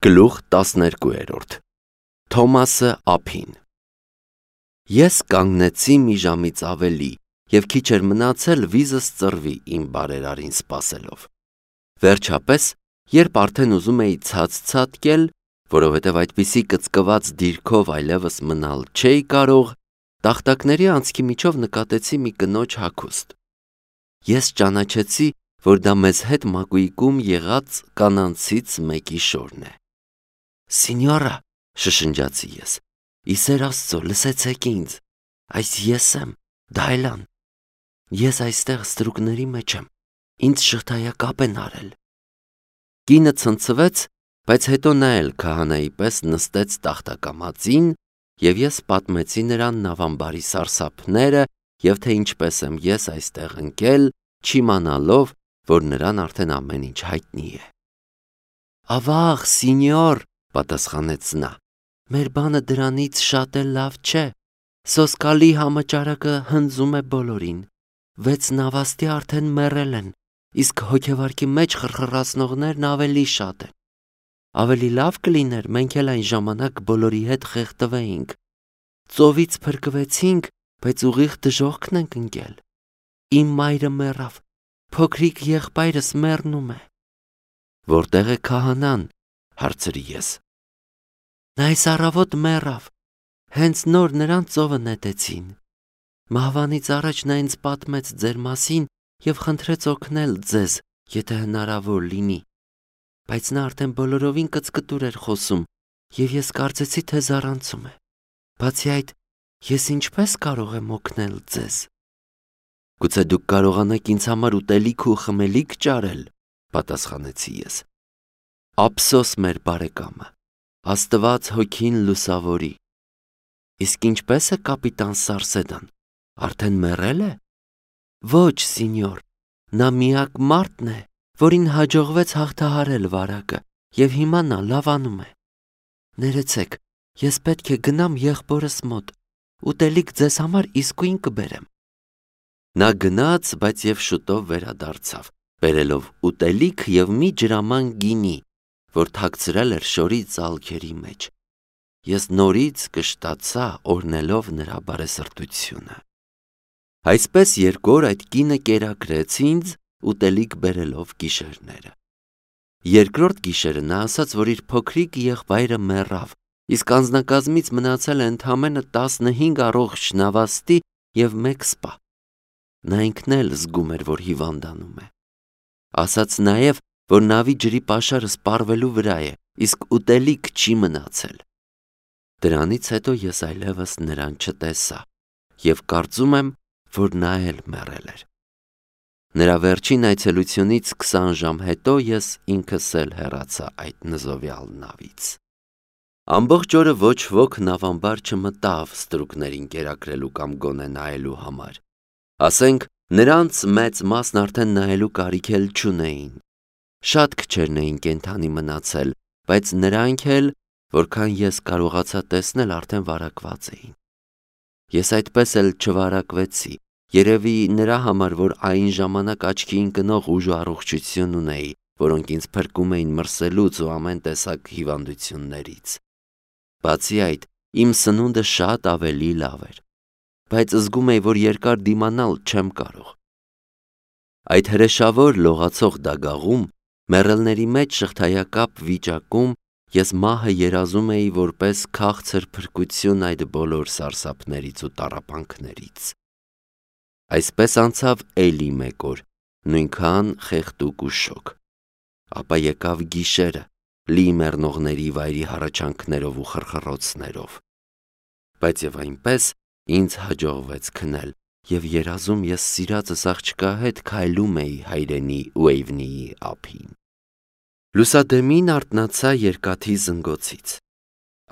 Գլուխ 12 Թոմասը ափին Ես կանգնեցի մի ժամից ավելի և քիչ էր մնացել վիզս ծռվի իմ բարերարին սպասելով։ Վերջապես, երբ արդեն ուզում էի ցած-ցատկել, որովհետև այդպիսի կծկված դիրքով այլևս մնալ չէի կարող, տախտակների անցքի միջով նկատեցի մի կնոջ հագուստ։ Ես ճանաչեցի, որ դա մեզ հետ մակույկում եղած կանանցից մեկի շորն է։ «Սինյորա», շշնջացի ես, «ի սեր Աստծո, լսեցեք ինձ, այս ես եմ, Դայլան, ես այստեղ ստրուկների մեջ եմ, ինձ շղթայակապ են արել»։ Կինը ցնցվեց, բայց հետո նա էլ քահանայի պես նստեց տախտակամածին, և ես պատմեցի նրան նավամբարի սարսափները և թե ինչպես եմ ես այստեղ ընկել, չիմանալով, որ նրան արդեն ամեն ինչ հայտնի է։ «Ավաղ, սինյոր», պատասխանեց նա, «մեր բանը դրանից շատ էլ լավ չէ, սոսկալի համաճարակը հնձում է բոլորին, 6 նավաստի արդեն մեռել են, իսկ հոգևարկի մեջ խրխռացնողներն ավելի շատ են։ Ավելի լավ կլիներ մենք էլ այն ժամանակ բոլորի հետ խեղդվեինք, ծովից փրկվեցինք, բայց ուղիղ դժոխքն ենք ընկել։ Իմ մայրը մեռավ, փոքրիկ եղբայրս մեռնում է»։ «Որտեղ է քահանան», հարցրի ես։ «Նա այս առավոտ մեռավ, հենց նոր նրան ծովը նետեցին։ Մահվանից առաջ նա ինձ պատմեց ձեր մասին և խնդրեց օգնել ձեզ, եթե հնարավոր լինի, բայց նա արդեն բոլորովին կծկտուր էր խոսում, և ես կարծեցի, թե զառանցում է։ Բացի այդ, ես ինչպես կարող եմ օգնել ձեզ»։ «Գուցե դուք կարողանաք ինձ համար ուտելիք ու խմելիք ճարել», պատասխանեցի ես։ «Ափսոս մեր բարեկամը, Աստված հոգին լուսավորի։ Իսկ ինչպես է կապիտան Սարսեդան, արդեն մեռել է»։ «Ոչ, սինյոր, նա միակ մարդն է, որին հաջողվեց հաղթահարել վարակը, և հիմա նա լավանում է։ Ներեցեք, ես պետք է գնամ եղբորս մոտ, ուտելիք ձեզ համար իսկույն կբերեմ»։ Նա գնաց, բայց և շուտով վերադարձավ, բերելով ուտելիք և մի ջրաման գինի, որ թաքցրել էր շորի ծալքերի մեջ։ Ես նորից կշտացա օրհնելով նրա բարեսրտությունը։ Այսպես 2 օր այդ կինը կերակրեց ինձ, ուտելիք բերելով գիշերները։ Երկրորդ գիշերը նա ասաց, որ իր փոքրիկ եղբայրը մեռավ, իսկ անձնակազմից մնացել է ընդամենը 15 առողջ նավաստի և 1 սպա։ Նա ինքն էլ զգում էր, որ հիվանդանում է։ Ասաց նաև, որ նավի ջրի պաշարը սպառվելու վրա է, իսկ ուտելիք չի մնացել։ Դրանից հետո ես այլևս նրան չտեսա և կարծում եմ, որ նա էլ մեռել էր։ Նրա վերջին այցելությունից 20 ժամ հետո ես ինքս էլ հեռացա այդ նզովյալ նավից։ Ամբողջ օրը ոչ ոք նավամբար չմտավ ստրուկներին կերակրելու կամ գոնե նայելու համար։ Ասենք, նրանց մեծ մասն արդեն նայելու կարիք էլ չունեին։ Շատ քչերն էին կենդանի մնացել, բայց նրանք էլ, որքան ես կարողացա տեսնել, արդեն վարակված էին։ Ես այդպես էլ չվարակվեցի, երևի նրա համար, որ այն ժամանակ աչքի ընկնող ուժ ու առողջություն ունեի, որոնք ինձ փրկում էին մրսելուց ու ամեն տեսակ հիվանդություններից։ Բացի այդ, իմ սնունդը շատ ավելի լավ էր, բայց զգում էի, որ երկար դիմանալ չեմ կարող։ Այդ հրեշավոր լողացող դագաղում, մեռելների մեջ շղթայակապ վիճակում, ես մահը երազում էի որպես քաղցր փրկություն այդ բոլոր սարսափներից ու տառապանքներից։ Այսպես անցավ էլի 1 օր, նույնքան խեղդուկ ու շոգ։ Ապա եկավ գիշերը, լի մեռնողների վայրի հառաչանքներով ու խրխռոցներով։ Բայց և այնպես ինձ հաջողվեց քնել, և երազում ես սիրածս աղջկա հետ քայլում էի հայրենի Ուեյվնիի ափին։ Լուսադեմին արթնացա երկաթի զնգոցից։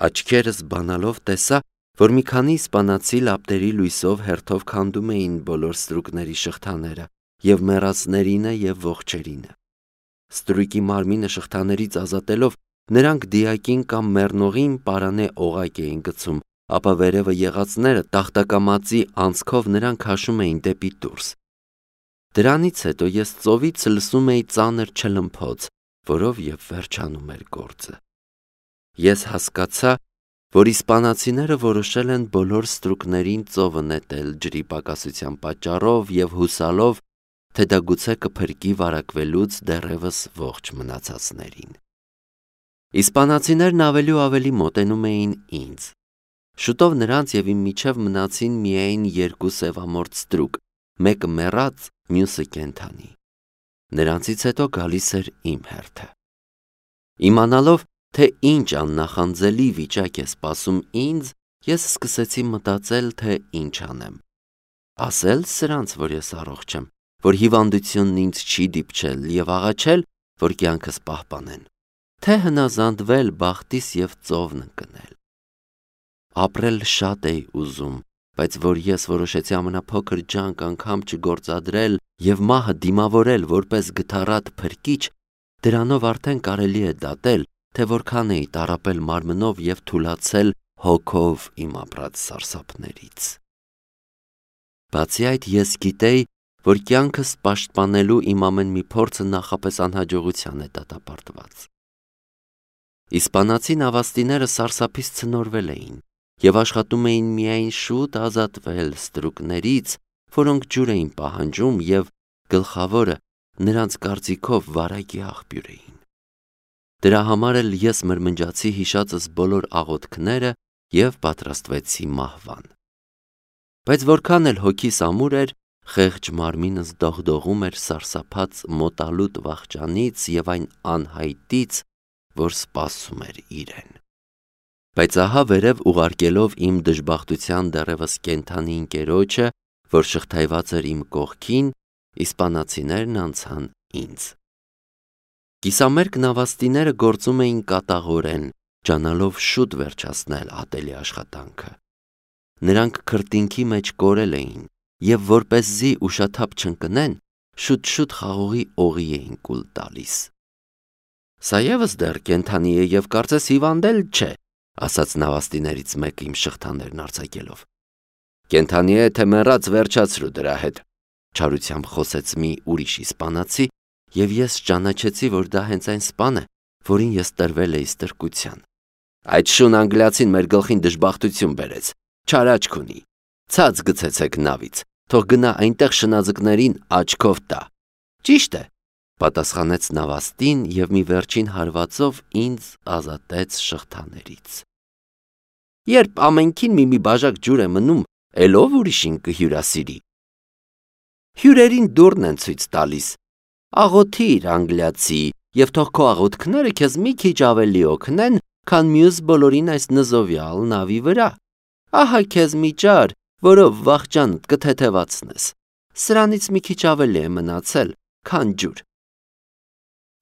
Աչքերս բանալով տեսա, որ մի քանի իսպանացի լապտերի լույսով հերթով քանդում էին բոլոր ստրուկների շղթաները, և մեռածներինը և ողջերինը։ Ստրուկի մարմինը շղթաներից ազատելով, նրանք դիակին կամ մեռնողին պարանե օղակ էին գցում, ապա վերևը եղածները տախտակամածի անցքով նրան քաշում էին դեպի դուրս։ Դրանից հետո ես ծովից լսում էի ծանր չլմփոց, որով և վերջանում էր գործը։ Ես հասկացա, որ իսպանացիները որոշել են բոլոր ստրուկներին ծովը նետել ջրի պակասության պատճառով և հուսալով, թե դա գուցե կփրկի վարակվելուց դեռևս ողջ մնացածներին։ Իսպանացիներն ավելի ու ավելի մոտենում էին ինձ։ Շուտով նրանց և իմ միջև մնացին միայն երկու սևամորթ ստրուկ, մեկը մեռած, մյուսը կենդանի։ Նրանցից հետո գալիս էր իմ հերթը։ Իմանալով, թե ինչ աննախանձելի վիճակ է սպասում ինձ, ես սկսեցի մտածել, թե ինչ անեմ։ Ասել սրանց, որ ես առողջ եմ, որ հիվանդությունն ինձ չի դիպչել և աղաչել, որ կյանքս պահպանեն, թե հնազանդվել բախտիս և ծովն ընկնել։ Ապրել շատ էի ուզում, բայց որ ես որոշեցի ամենափոքր ջանք անգամ չգործադրել և մահը դիմավորել որպես գթառատ փրկիչ, դրանով արդեն կարելի է դատել, թե որքան էի տառապել մարմնով և թուլացել հոգով իմ ապրած սարսափներից։ Բացի այդ, ես գիտեի, որ կյանքս պաշտպանելու իմ ամեն մի փորձը նախապես անհաջողության է դատապարտված։ Իսպանացի նավաստիները սարսափից ցնորվել էին և աշխատում էին միայն շուտ ազատվել ստրուկներից, որոնք ջուր էին պահանջում և, գլխավորը, նրանց կարծիքով վարակի աղբյուր էին։ Դրա համար էլ ես մրմնջացի հիշածս բոլոր աղոթքները և պատրաստվեցի մահվան։ Բայց որքան էլ հոգիս ամուր էր, խեղճ մարմինս դողդողում էր սարսափած մոտալուտ վախճանից և այն անհայտից, որ սպասում էր իրեն։ Բայց ահա վերև ուղարկելով իմ դժբախտության դեռևս կենդանի ընկերոջը, որ շղթայված էր իմ կողքին, իսպանացիներն անցան ինձ։ Կիսամերկ նավաստիները գործում էին կատաղորեն, ջանալով շուտ վերջացնել ատելի աշխատանքը։ Նրանք քրտինքի մեջ կորել էին և որպեսզի ուշաթափ չընկնեն, շուտ-շուտ խաղողի օղի էին կուլ տալիս։ «Սա ևս դեռ կենդանի է և կարծես հիվանդել չէ», ասաց նավաստիներից մեկը իմ շղթաներն արձակելով։ «Կենդանի է, թե մեռած, վերջացրու դրա հետ», չարությամբ խոսեց մի ուրիշ իսպանացի, և ես ճանաչեցի, որ դա հենց այն սպան է, որին ես տրվել էի ստրկության։ «Այդ շուն անգլիացին մեր գլխին դժբախտություն բերեց, չար աչք ունի, ցած գցեցեք նավից, թող գնա այնտեղ շնաձկներին աչքով տա»։ «Ճիշտ է», պատասխանեց նավաստին և մի վերջին հարվածով ինձ ազատեց շղթաներից։ «Երբ ամենքին մի բաժակ ջուր է մնում, էլ ով ուրիշին կհյուրասիրի»։ «Հյուրերին դուռն են ցույց տալիս, աղոթիր, անգլիացի, և թող քո աղոթքները քեզ մի քիչ ավելի օգնեն, քան մյուս բոլորին այս նզովյալ նավի վրա։ Ահա քեզ մի ճար, որով վախճանդ կթեթևացնես, սրանից մի քիչ ավելի է մնացել, քան ջուր»։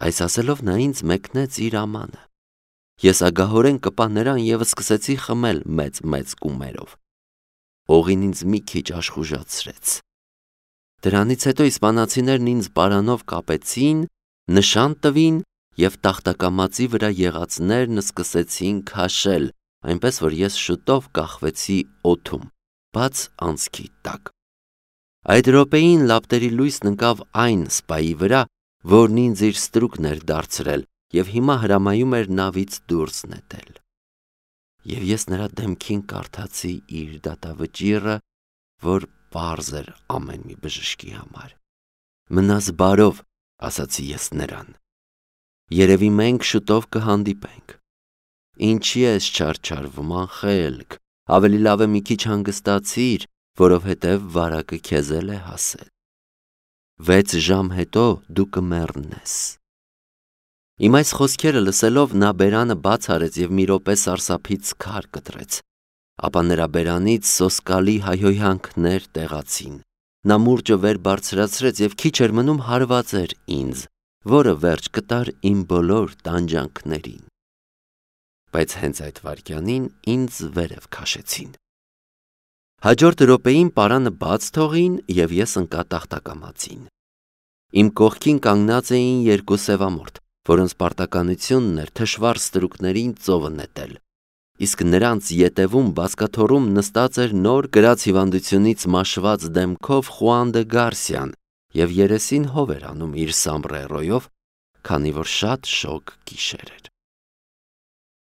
Այս ասելով նա ինձ մեկնեց իր ամանը։ Ես ագահորեն կպա նրան և սկսեցի խմել մեծ կումերով։ Օղին ինձ մի քիչ աշխուժացրեց։ Դրանից հետո իսպանացիներն ինձ պարանով կապեցին, նշան տվին և տախտակամածի վրա եղածներն սկսեցին քաշել, այնպես որ ես շուտով կախվեցի օդում, բաց անցքի տակ։ Այդ րոպեին լապտերի լույսն ընկավ այն սպայի վրա, որն ինձ իր ստրուկն էր դարձրել և հիմա հրամայում էր նավից դուրս նետել։ Եվ ես նրա դեմքին կարդացի իր դատավճիռը, որ պարզ էր ամեն մի բժշկի համար։ «Մնաս բարով», ասացի ես նրան։ «Երևի մենք շուտով կհանդիպենք։ Ինչի ես չարչարվում, անխելք, ավելի լավ է մի քիչ հանգստացիր, որովհետև վարակը քեզ էլ է հասել։ 6 ժամ հետո դու կմեռնես»։ Իմ այս խոսքերը լսելով նա բերանը բաց արեց և մի րոպե սարսափից քար կտրեց, ապա նրա բերանից սոսկալի հայհոյանքներ տեղացին։ Նա մուրճը վեր բարձրացրեց և քիչ էր մնում հարվածեր ինձ, որը վերջ կտար իմ բոլոր տանջանքներին։ Բայց հենց այդ վայրկյանին ինձ վերև քաշեցին։ Հաջորդ րոպեին պարանը բաց թողին և ես ընկա տախտակամածին։ Իմ կողքին կանգնած էին երկու սևամորթ, որոնց պարտականությունն էր թշվառ ստրուկներին ծովը նետել, իսկ նրանց ետևում բազկաթոռում նստած էր նոր կրած հիվանդությունից մաշված դեմքով Խուան դը Գարսիան և երեսին հով էր անում իր սամբրերոյով, քանի որ շատ շոգ գիշեր էր։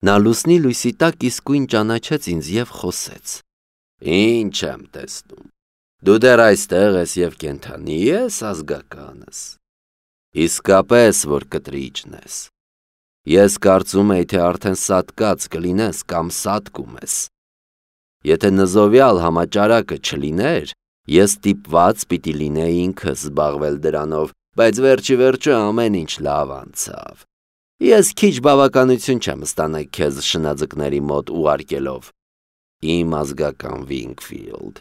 Նա լուսնի լույսի տակ իսկույն ճանաչեց ինձ և խոսեց. «Ինչ եմ տեսնում, դու դեռ այստեղ ես և կենդանի ես ազգականս, իսկապես որ կտրիճն ես, ես կարծում էի, թե արդեն սատկած կլինես կամ սատկում ես, եթե նզովյալ համաճարակը չլիներ, ես ստիպված պիտի լինեի ինքս զբաղվել դրանով, բայց վերջիվերջո ամեն ինչ լավ անցավ, ես քիչ բավականություն չեմ ստանալ քեզ շնաձկների մոտ ուղարկելով, իմ ազգական Վինգֆիլդ,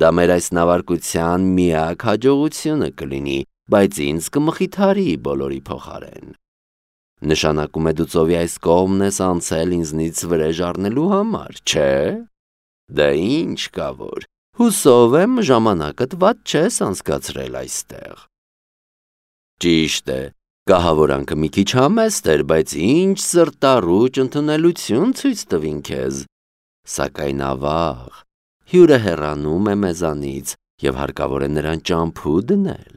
դա մեր այս նավարկության միակ հաջողությունը կլինի, բայց ինձ կմխիթարի բոլորի փոխարեն, նշանակում է դու ծովի այս կողմն ես անցել ինձնից վրեժ առնելու համար, չէ՞, դե ինչ կա որ, հուսով եմ ժամանակդ վատ չես անցկացրել այստեղ, ճիշտ է, կահավորանքը մի քիչ համեստ էր, բայց ինչ սրտառուչ ընդունելություն ցույց տվին քեզ, սակայն ավաղ, հյուրը հեռանում է մեզանից և հարկավոր է նրան ճամփու դնել,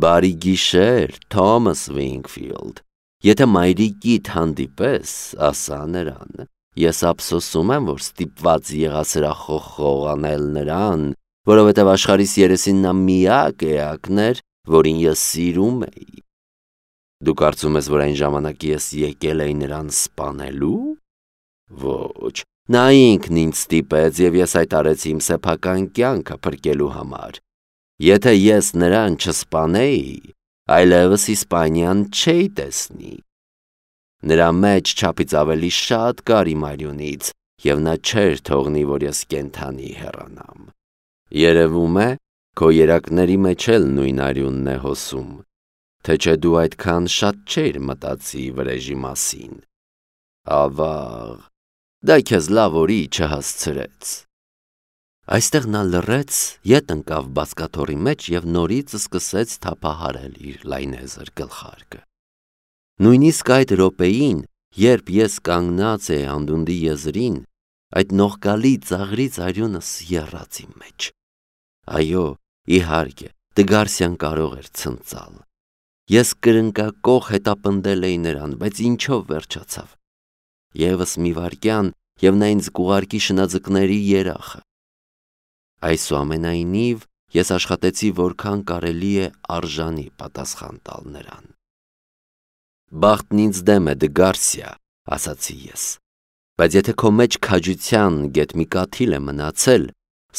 բարի գիշեր, Թոմաս Վինգֆիլդ, եթե մայրիկիդ հանդիպես, ասա նրան, ես ափսոսում եմ, որ ստիպված եղա սրախոխ անել նրան, որովհետև աշխարհիս երեսին նա միակ էակն էր, որին ես սիրում էի, դու կարծում ես, որ այն ժամանակ ես եկել էի նրան սպանելու, ոչ, նա ինքն ինձ ստիպեց և ես այդ արեցի իմ սեփական կյանքը փրկելու համար, եթե ես նրան չսպանեի, այլևս Իսպանիան չէի տեսնի, նրա մեջ չափից ավելի շատ կար իմ արյունից և նա չէր թողնի, որ ես կենդանի հեռանամ, երևում է, քո երակների մեջ էլ նույն արյունն է հոսում, թե չէ դու այդքան շատ չէիր մտածի վրեժի մասին, ավաղ, դա քեզ լավ օրի չհասցրեց, այստեղ նա լռեց, ետ ընկավ բազկաթոռի մեջ և նորից սկսեց թափահարել իր լայնեզր գլխարկը, նույնիսկ այդ րոպեին, երբ ես կանգնած էի անդունդի եզրին, այդ նողկալի ծաղրից արյունս եռաց իմ մեջ, այո, իհարկե, Դգարսիան կարող էր ցնծալ, ես կրնկակոխ հետապնդել էի նրան, բայց ինչով վերջացավ, ևս մի վայրկյան և նա ինձ կուղարկի շնաձկների երախը, այսուամենայնիվ ես աշխատեցի որքան կարելի է արժանի պատասխան տալ նրան, բախտն ինձ դեմ է Դգարսիա, ասացի ես, բայց եթե քո մեջ քաջության գետ մի կաթիլ է մնացել,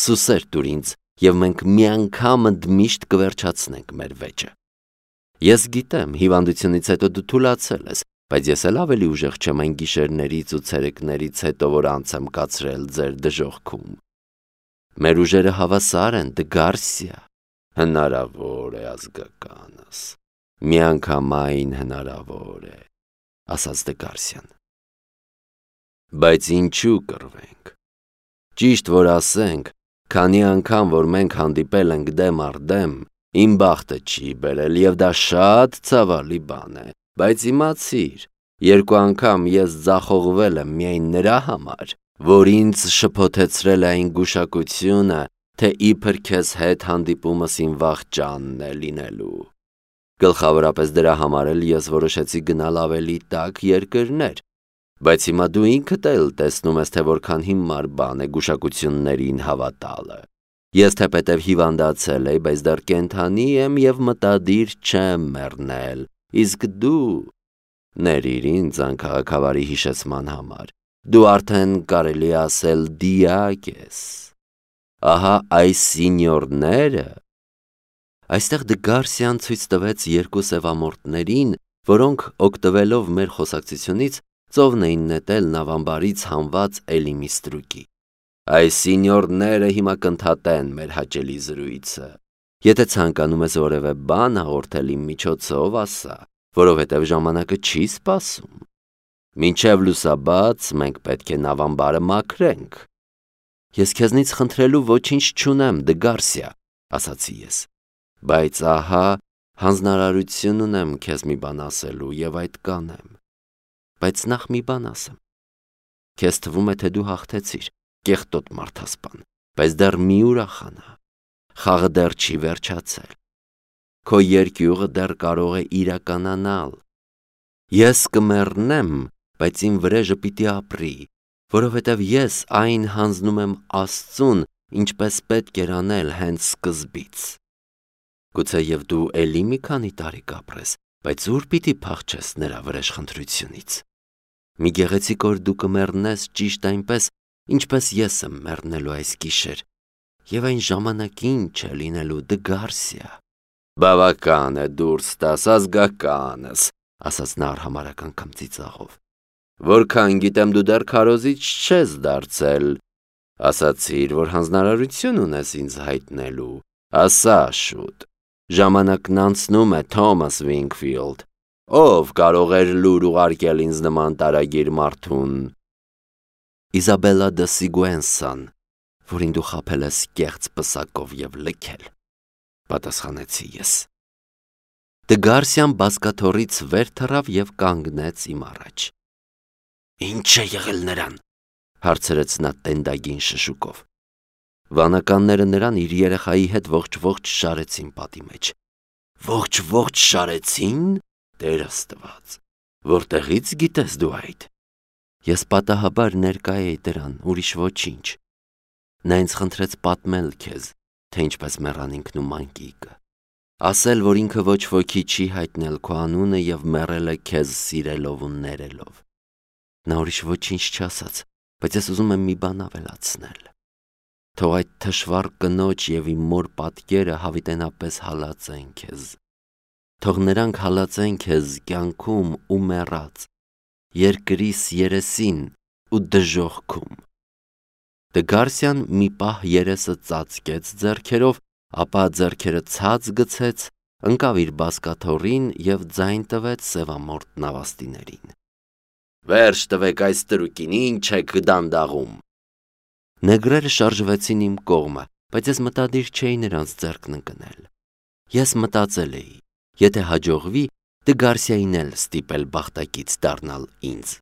սուսեր տուր ինձ և մենք մի անգամ ընդմիշտ կվերջացնենք մեր վեճը, ես գիտեմ, հիվանդությունից հետո դու թուլացել ես, բայց ես էլ ավելի ուժեղ չեմ այն գիշերներից ու ցերեկներից հետո, որ անց եմ կացրել ձեր դժոխքում, մեր ուժերը հավասար են, Դգարսիա, հնարավոր է ազգականս, միանգամայն հնարավոր է, ասաց Դգարսիան, բայց ինչու կռվենք, ճիշտ որ ասենք, քանի անգամ, որ մենք հանդիպել ենք դեմ առ դեմ, իմ բախտը չի բերել և դա շատ ցավալի բան է, բայց իմացիր, երկու անգամ ես ձախողվել եմ միայն նրա համար, որ ինձ շփոթեցրել է այն գուշակությունը, թե իբր քեզ հետ հանդիպումս իմ վախճանն է լինելու, գլխավորապես դրա համար էլ ես որոշեցի գնալ ավելի տաք երկրներ, բայց հիմա դու ինքդ էլ տեսնում ես, թե որքան հիմար բան է գուշակություններին հավատալը, ես թեպետև հիվանդացել էի, բայց դեռ կենդանի եմ և մտադիր չեմ մեռնել, իսկ դու, ներիր ինձ անքաղաքավարի հիշեցման համար, դու արդեն կարելի ասել դիակ ես, ահա այս սինյորները, այստեղ Դգարսիան ցույց տվեց երկու սևամորթներին, որոնք օգտվելով մեր խոսակցությունից ծովն էին նետել նավամբարից հանված էլի մի ստրուկի, այս սինյորները հիմա կընդհատեն մեր հաճելի զրույցը, եթե ցանկանում ես որևէ բան հաղորդել իմ միջոցով ասա, որովհետև ժամանակը չի սպասում, մինչև լուսաբաց մենք պետք է նավամբարը մաքրենք, ես քեզնից խնդրելու ոչինչ չունեմ, Դգարսիա, ասացի ես, բայց ահա հանձնարարություն ունեմ քեզ մի բան ասելու և այդ կանեմ, բայց նախ մի բան ասեմ, քեզ թվում է, թե դու հաղթեցիր, կեղտոտ մարդասպան, բայց դեռ մի ուրախանա, խաղը դեռ չի վերջացել, քո երկյուղը դեռ կարող է իրականանալ, ես կմեռնեմ, բայց իմ վրեժը պիտի ապրի, որովհետև ես այն հանձնում եմ Աստծուն, ինչպես պետք էր անել հենց սկզբից։ Գուցե և դու էլի մի քանի տարի կապրես, բայց ուր պիտի փախչես նրա վրեժխնդրությունից։ Մի գեղեցիկ օր դու կմեռնես ճիշտ այնպես, ինչպես ես եմ մեռնելու այս գիշեր, և այն ժամանակին չէ լինելու Դգարսիա։ Բավական է դուրս տաս, ազգականս, ասաց նա արհամարհակ անգամ ծիծաղով։ Որքան գիտեմ դու դեռ քարոզիչ չես դարձել։ Ասացիր, որ հանձնարարություն ունես ինձ հայտնելու, ասա շուտ։ Ժամանակն անցնում է, Թոմաս Վինքֆիլդ, ով կարող էր լուր ուղարկել ինձ նման տարագիր մարդուն։ Իզաբելլա դը Սիգուենսան, որին դու խաբել ես կեղծ պսակով և լքել, պատասխանեցի ես։ Դգարսիան բազկաթոռից վեր թռավ և կանգնեց իմ առաջ։ Ինչ է եղել նրան, հարցրեց նա տենդագին շշուկով։ Վանականները նրան իր երեխայի հետ ողջ շարեցին պատի մեջ։ Ողջ շարեցին, Տեր Աստված, որտեղից գիտես դու այդ։ Ես պատահաբար ներկա էի դրան, ուրիշ ոչինչ։ Նա ինձ խնդրեց պատմել քեզ, թե ինչպես մեռան ինքն ու մանկիկը, ասել, որ ինքը ոչ ոքի չի հայտնել քո անունը և մեռել է քեզ սիրելով ու ներելով։ Նա ուրիշ ոչինչ չասաց, բայց ես ուզում եմ մի բան ավելացնել։ Թող այդ թշվառ կնոջ և իմ մոր պատկերը հավիտենապես հալածեն քեզ։ Թող նրանք հալածեն քեզ կյանքում ու մեռած, երկրիս երեսին ու դժոխքում։ Դգարսիան մի պահ երեսը ծածկեց ձեռքերով, ապա ձեռքերը ցած գցեց, ընկավ իր բազկաթոռին և ձայն տվեց սևամորթ նավաստիներին։ Վերջ տվեք այս տրուկին, ինչ եք դանդաղում։ Նեգրերը շարժվեցին իմ կողմը, բայց ես մտադիր չէի նրանց ձեռքն ընկնել։ Ես մտածել էի, եթե հաջողվի, Դգարսիային էլ ստիպել բախտակից դառնալ ինձ։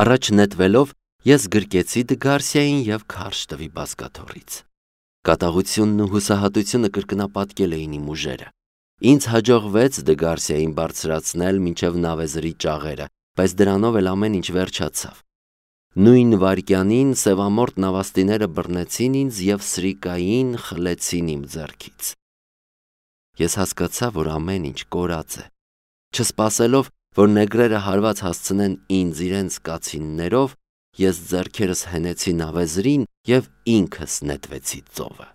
Առաջ նետվելով, ես գրկեցի Դգարսիային և քարշ տվի բազկաթոռից։ Կատաղությունն ու հուսահատությունը կրկնապատկել էին իմ ուժերը։ Ինձ հաջողվեց Դգարսիային բարձրացնել մինչև նավեզրի ճաղերը, բայց դրանով էլ ամեն ինչ վերջացավ։ Նույն վայրկյանին սևամորթ նավաստիները բռնեցին ինձ և սրիկային խլեցին իմ ձեռքից։ Ես հասկացա, որ ամեն ինչ կորած է։ Չսպասելով, որ նեգրերը հարված հասցնեն ինձ իրենց կացիններով, ես ձեռքերս հենեցի նավեզրին և ինքս նետվեցի ծովը։